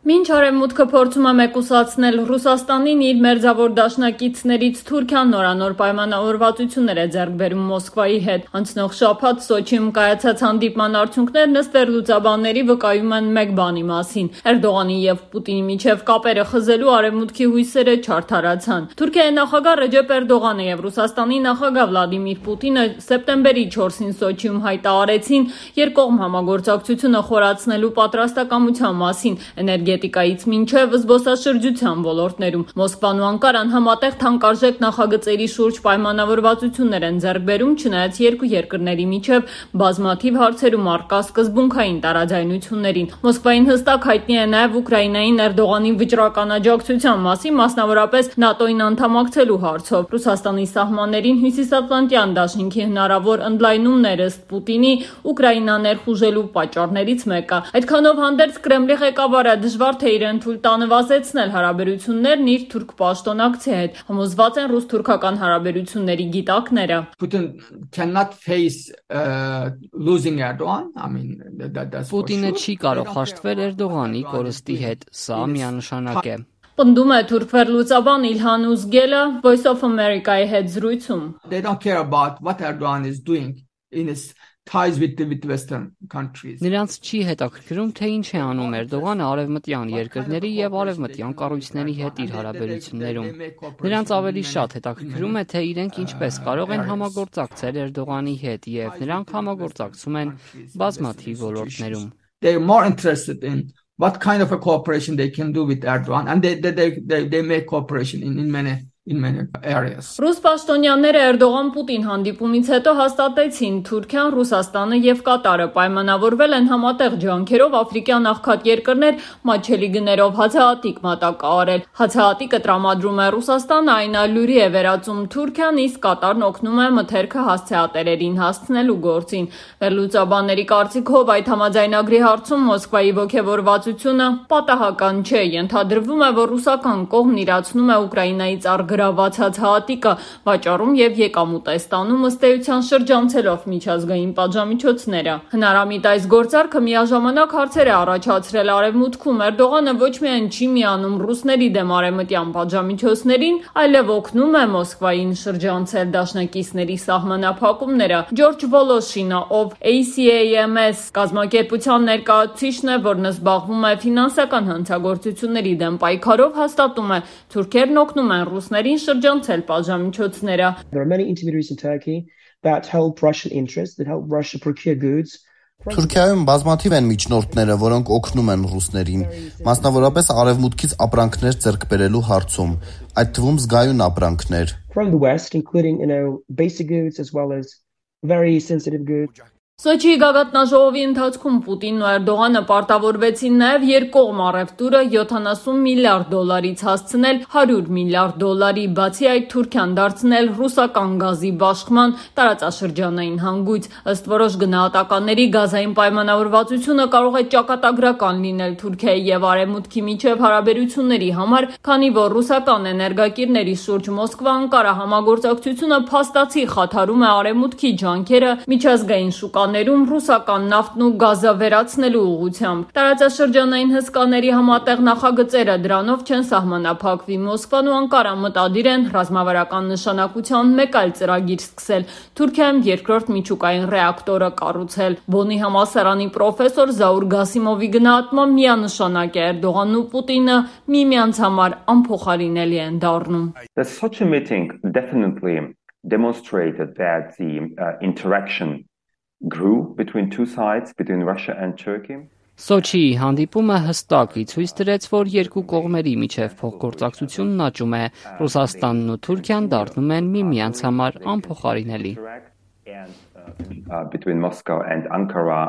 Մինչ Արևմուտքը փորձում է մեկուսացնել Ռուսաստանին, իր մերձավոր դաշնակիցներից Թուրքիան նորանոր պայմանավորվածություններ է ձեռք բերում Մոսկվայի հետ։ Անցնող շաբաթ Սոչիում կայացած հանդիպման արդյունքներն ըստ վերլուծաբանների վկայում են մեկ բանի մասին. Էրդողանի եւ Պուտինի միջև կապերը խզելու Արևմուտքի հույսերը չարդարացան։ Թուրքիայի նախագահ Ռեջեփ Էրդողանը եւ Ռուսաստանի նախագահ Վլադիմիր Պուտինը սեպտեմբերի 4-ին Սոչիում հայտարարեցին երկկողմ համագործակցությունը խորացնելու պատրաստակամության մասին էներգետիկայից մինչև զբոսաշրջության ոլորտներում։ Մոսկվան ու Անկարան համատեղ թանկարժեք նախագծերի շուրջ պայմանավորվածություններ են ձեռք բերում, չնայած երկու երկրների միջև բազմաթիվ հարցերում առկա սկզբունքային տարաձայնություններին։ Մոսկվային հստակ հայտնի է նաև Ուկրաինային Էրդողանի վճռական աջակցության մասին, մասնավորապես ՆԱՏՕ-ին անդամակցելու հարցով։ Ռուսաստանի սահմաններին Հյուսիսատլանտյան դաշինքի հնարավոր ընդլայնումներ ըստ Պուտինի Ուկրաինա ներխուժելու պատճառներից մեկը։ Այդքանով հանդերձ Կրեմլի ղեկավարը դժվար թե իրեն թույլ տա նվազեցնել հարաբերություններն իր թուրք պաշտոնակցի հետ, համոզված են ռուս-թուրքական հարաբերությունների գիտակները։ Պուտինը չի կարող հաշտվել Էրդողանի կորստի հետ, սա միանշանակ է։ Պնդում է թուրք վերլուծաբան Իլհան Ուզգելը Voice of America-ի հետ զրույցում։ Նրանց չի հետաքրքրում, թե ինչ է անում Էրդողանը արևմտյան երկրների եւ արևմտյան կառույցների հետ իր հարաբերություններում։ Նրանց ավելի շատ հետաքրքրում է, թե իրենք ինչպես կարող են համագործակցել Էրդողանի հետ, եւ նրանք համագործակցում են բազմաթիվ ոլորտներում։ What kind of a cooperation they can do with Erdogan, and they make cooperation in many areas. Ռուս պաշտոնյաները Էրդողան-Պուտին հանդիպումից հետո հաստատեցին Թուրքիան, Ռուսաստանը եւ Կատարը պայմանավորվել են համատեղ ջանքերով աֆրիկյան աղքատ երկրներ մատչելի գներով հացահատիկ մատակարարել։ Հացահատիկը տրամադրում է Ռուսաստանը, այն ալյուրի է վերածում Թուրքիան, իսկ Կատարն օգնում է մթերքը հասցեատերերին հասցնելու գործին։ Վերլուծաբանների կարծիքով այդ համաձայնագրի հարցում Մոսկվայի ոգևորվածությունը պատահական չէ։ Ենթադրվում է, որ ռուսական կողմն իրացնում է Ուկրաինայից գրաված հացահատիկը վաճառում եւ եկամուտ է ստանում ըստ էության շրջանցելով միջազգային պատժամիջոցները։ Հնարամիտ այս գործարքը միաժամանակ հարցեր է առաջացրել Արևմուտքում։ Էրդողանը ոչ միայն չի միանում ռուսների դեմ արևմտյան պատժամիջոցներին, այլև օգնում է Մոսկվային շրջանցել դաշնակիցների սահմանափակումները։ Ջորջ Վոլոշինը, ով ACAMS կազմակերպության ներկայացուցիչն է, որն զբաղվում է ֆինանսական հանցագործությունների դեմ պայքարով, հաստատում է, թուրքերն օգնում են ռուսներին շրջանցել պատժամիջոցները։ There are many intermediaries in Turkey that help Russian interests, that help Russia procure goods. Թուրքիայում բազմաթիվ են միջնորդները, որոնք օգնում են ռուսներին, մասնավորապես արևմուտքից ապրանքներ ձեռք բերելու հարցում, այդ թվում զգայուն ապրանքներ։ From the West, including, basic goods as well as very sensitive goods. Սոչիի գագաթնաժողովի ընթացքում Պուտինն ու Էրդողանը պարտավորվեցին նաև երկկողմ առևտուրը $70 միլիարդից հասցնել $100 միլիարդ, բացի այդ Թուրքիան դարձնել ռուսական գազի բաշխման տարածաշրջանային հանգույց։ Ըստ որոշ գնահատականների գազային պայմանավորվածությունը կարող է ճակատագրական լինել Թուրքիայի եւ Արևմուտքի միջև հարաբերությունների համար, քանի որ ռուսական էներգակիրների շուրջ Մոսկվա-Անկարա համագործակցությունը փաստացի խաթարում է Արևմուտքի ջանքերը միջազգային շուկաներում ռուսական նավթն ու գազը վերացնելու ուղղությամբ։ Տարածաշրջանային հսկաների համատեղ նախագծերը դրանով չեն սահմանափակվի։ Մոսկվան ու Անկարան մտադիր են ռազմավարական նշանակության մեկ այլ ծրագիր սկսել՝ Թուրքիայում երկրորդ միջուկային ռեակտորը կառուցել։ Բոնի համալսարանի պրոֆեսոր Զաուր Գասիմովի գնահատմամբ միանշանակ է Էրդողանն ու Պուտինը միմյանց համար անփոխարինելի են դառնում։ The Sochi meeting definitely demonstrated that the interaction grew between two sides, between Russia and Turkey. Սոչիի հանդիպումը հստակ ցույց տվեց, որ երկու կողմերի միջև փոխգործակցությունն աճում է, Ռուսաստանն ու Թուրքիան դառնում են միմյանց համար անփոխարինելի։ Between Moscow and Ankara